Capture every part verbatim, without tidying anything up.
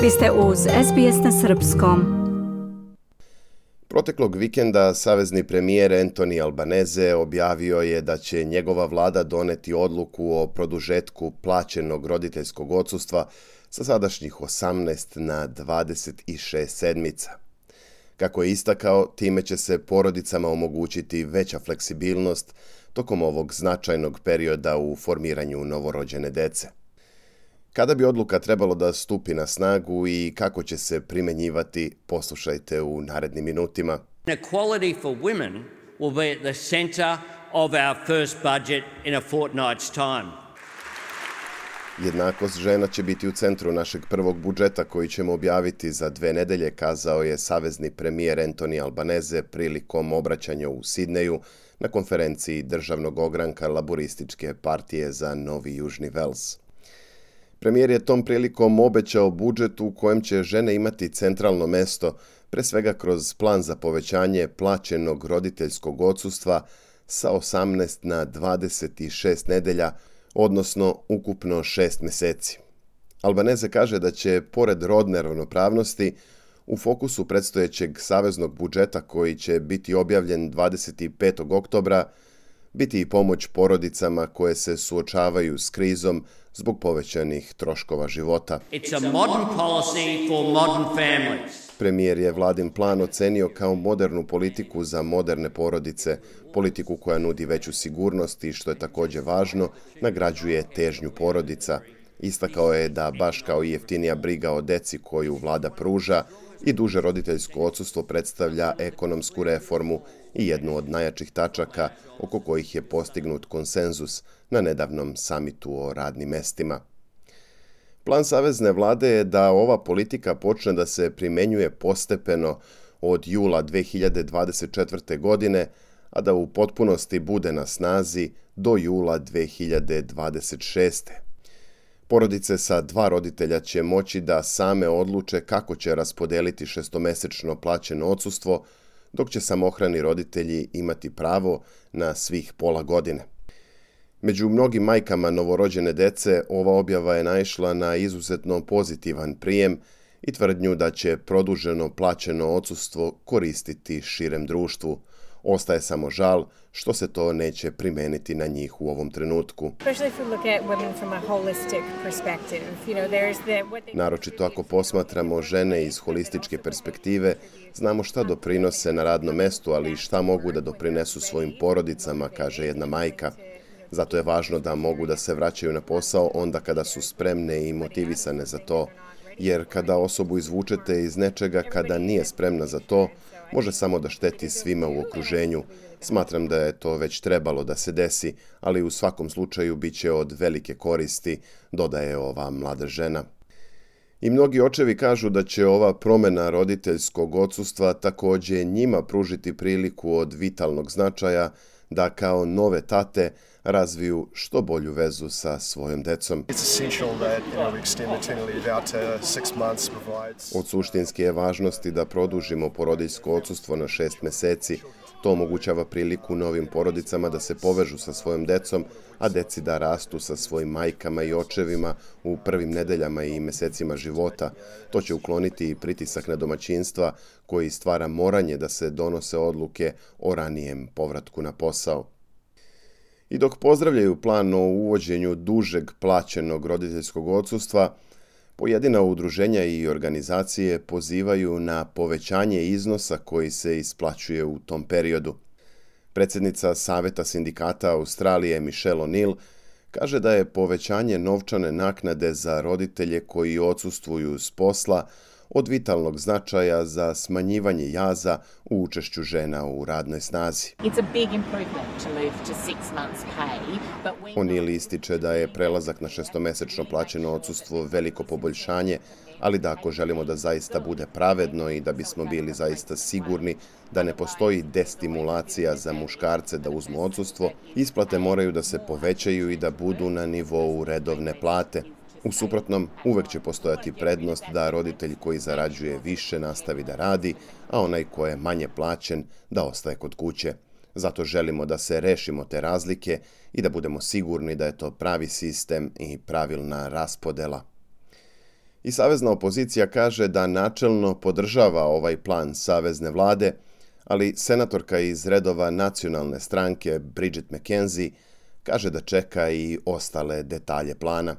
Vi ste uz S B S na srpskom. Proteklog vikenda savezni premijer Anthony Albanese objavio je da će njegova vlada doneti odluku o produžetku plaćenog roditeljskog odsustva sa sadašnjih osamnaest na dvadeset šest sedmica. Kako je istakao, time će se porodicama omogućiti veća fleksibilnost tokom ovog značajnog perioda u formiranju novorođene dece. Kada bi odluka trebalo da stupi na snagu i kako će se primenjivati, poslušajte u narednim minutima. Equality for women will be at the centre of our first budget in a fortnight's time. Jednakost žena će biti u centru našeg prvog budžeta koji ćemo objaviti za dve nedelje, kazao je savezni premijer Anthony Albanese prilikom obraćanja u Sidneju na konferenciji državnog ogranka Laborističke partije za Novi Južni Vels. Premijer je tom prilikom obećao budžet u kojem će žene imati centralno mesto, pre svega kroz plan za povećanje plaćenog roditeljskog odsustva sa osamnaest na dvadeset šest nedelja, odnosno ukupno šest meseci. Albanese kaže da će, pored rodne ravnopravnosti, u fokusu predstojećeg saveznog budžeta koji će biti objavljen dvadeset petog oktobra, biti i pomoć porodicama koje se suočavaju s krizom zbog povećanih troškova života. It's a modern policy for modern families. Premijer je vladin plan ocenio kao modernu politiku za moderne porodice, politiku koja nudi veću sigurnost i, što je također važno, nagrađuje težnju porodica. Istakao je da, baš kao i jeftinija briga o deci koju vlada pruža, i duže roditeljsko odsustvo predstavlja ekonomsku reformu i jednu od najjačih tačaka oko kojih je postignut konsenzus na nedavnom samitu o radnim mestima. Plan savezne vlade je da ova politika počne da se primenjuje postepeno od jula dve hiljade dvadeset četvrte. godine, a da u potpunosti bude na snazi do jula dve hiljade dvadeset šeste. Porodice sa dva roditelja će moći da same odluče kako će raspodeliti šestomesečno plaćeno odsustvo, dok će samohrani roditelji imati pravo na svih pola godine. Među mnogim majkama novorođene dece ova objava je naišla na izuzetno pozitivan prijem i tvrdnju da će produženo plaćeno odsustvo koristiti širem društvu. Ostaje samo žal što se to neće primeniti na njih u ovom trenutku. Naročito ako posmatramo žene iz holističke perspektive, znamo šta doprinose na radnom mestu, ali i šta mogu da doprinesu svojim porodicama, kaže jedna majka. Zato je važno da mogu da se vraćaju na posao onda kada su spremne i motivisane za to, jer kada osobu izvučete iz nečega kada nije spremna za to, može samo da šteti svima u okruženju. Smatram da je to već trebalo da se desi, ali u svakom slučaju bit će od velike koristi, dodaje ova mlada žena. I mnogi očevi kažu da će ova promjena roditeljskog odsustva također njima pružiti priliku od vitalnog značaja da kao nove tate razviju što bolju vezu sa svojom decom. Od suštinske je važnosti da produžimo porodiljsko odsustvo na šest meseci. To omogućava priliku novim porodicama da se povežu sa svojom decom, a deci da rastu sa svojim majkama i očevima u prvim nedeljama i mesecima života. To će ukloniti i pritisak na domaćinstva koji stvara moranje da se donose odluke o ranijem povratku na posao. I dok pozdravljaju plan o uvođenju dužeg plaćenog roditeljskog odsustva, pojedina udruženja i organizacije pozivaju na povećanje iznosa koji se isplaćuje u tom periodu. Predsjednica Saveta sindikata Australije Michelle O'Neill kaže da je povećanje novčane naknade za roditelje koji odsustvuju s posla od vitalnog značaja za smanjivanje jaza u učešću žena u radnoj snazi. O'Neill ističe da je prelazak na šestomesečno plaćeno odsustvo veliko poboljšanje, ali da ako želimo da zaista bude pravedno i da bismo bili zaista sigurni da ne postoji destimulacija za muškarce da uzmu odsustvo, isplate moraju da se povećaju i da budu na nivou redovne plate. U suprotnom, uvek će postojati prednost da roditelj koji zarađuje više nastavi da radi, a onaj ko je manje plaćen da ostaje kod kuće. Zato želimo da se rešimo te razlike i da budemo sigurni da je to pravi sistem i pravilna raspodela. I savezna opozicija kaže da načelno podržava ovaj plan savezne vlade, ali senatorka iz redova nacionalne stranke Bridget McKenzie kaže da čeka i ostale detalje plana.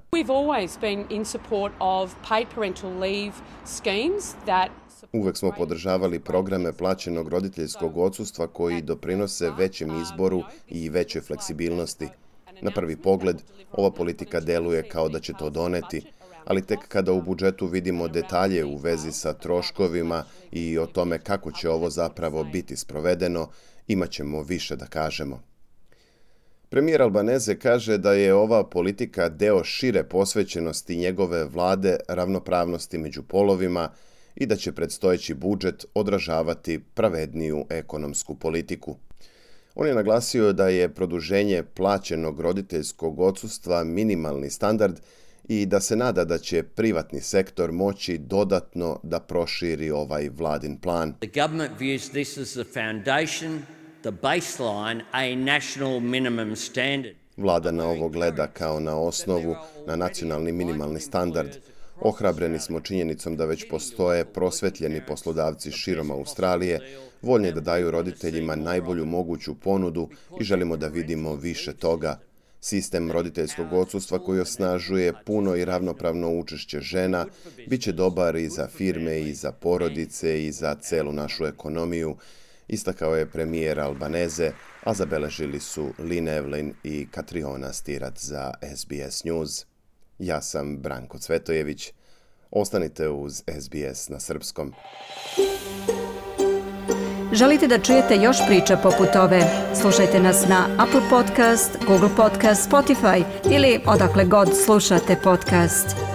Uvek smo podržavali programe plaćenog roditeljskog odsustva koji doprinose većem izboru i većoj fleksibilnosti. Na prvi pogled, ova politika deluje kao da će to doneti, ali tek kada u budžetu vidimo detalje u vezi sa troškovima i o tome kako će ovo zapravo biti sprovedeno, imat ćemo više da kažemo. Premijer Albanese kaže da je ova politika deo šire posvećenosti njegove vlade ravnopravnosti među polovima i da će predstojeći budžet odražavati pravedniju ekonomsku politiku. On je naglasio da je produženje plaćenog roditeljskog odsustva minimalni standard i da se nada da će privatni sektor moći dodatno da proširi ovaj vladin plan. The government views this as the foundation, the baseline, a national minimum standard. Vlada na ovo gleda kao na osnovu, na nacionalni minimalni standard. Ohrabreni smo činjenicom da već postoje prosvetljeni poslodavci širom Australije, voljni da daju roditeljima najbolju moguću ponudu i želimo da vidimo više toga. Sistem roditeljskog odsustva koji osnažuje puno i ravnopravno učešće žena bit će dobar i za firme i za porodice i za celu našu ekonomiju, istakao je premijer Albanese, a zabeležili su Lynn Evelyn i Katriona Stirat za S B S News. Ja sam Branko Cvetojević. Ostanite uz S B S na srpskom. Želite da čujete još priča poput ove? Slušajte nas na Apple Podcast, Google Podcast, Spotify ili odakle god slušate podcast.